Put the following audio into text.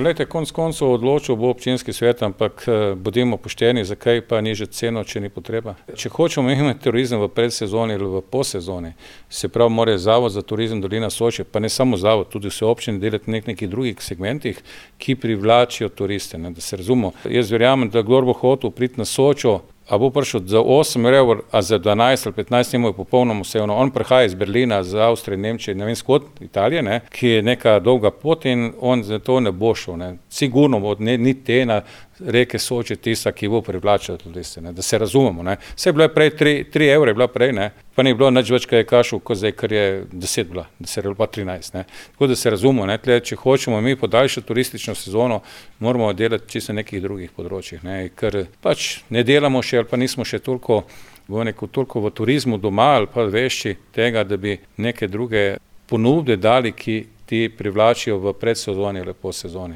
Glejte, konec koncev odločil bo občinski svet, ampak bodimo pošteni, zakaj pa nižati ceno, če ni potreba. Če hočemo imeti turizem v predsezoni ali v posezoni, se pravi, mora Zavod za turizem Dolina Soče, pa ne samo zavod, tudi vse občine delati na nekih drugih segmentih, ki privlačijo turiste, da se razumemo. Jaz verjamem, da kdor bo hotel priti na Sočo, a bo prišel za 8 evrov, a za 12 ali 15 njemu je popolnoma vseeno. On prihaja iz Berlina, iz Avstrije, Nemčije, ne vem skod, Italije, ki je neka dolga pot in on za to ne bo šel. Sigurno bo ni te na reke Soče tista, ki bo privlačila turiste, da se razumemo. Saj je bila prej 3 evre, je bila prej, pa ni bilo nič več, kaj je kašel, kot zdaj, ker je 10 bila, da se je pa 13. Tako da se razumemo, če hočemo mi podaljšati turistično sezono, moramo delati čisto na nekih drugih področjih, ker pač ne delamo še ali pa nismo še toliko v turizmu doma ali pa vešči tega, da bi neke druge ponudbe dali, ki ti privlačijo v predsezoni ali po sezoni.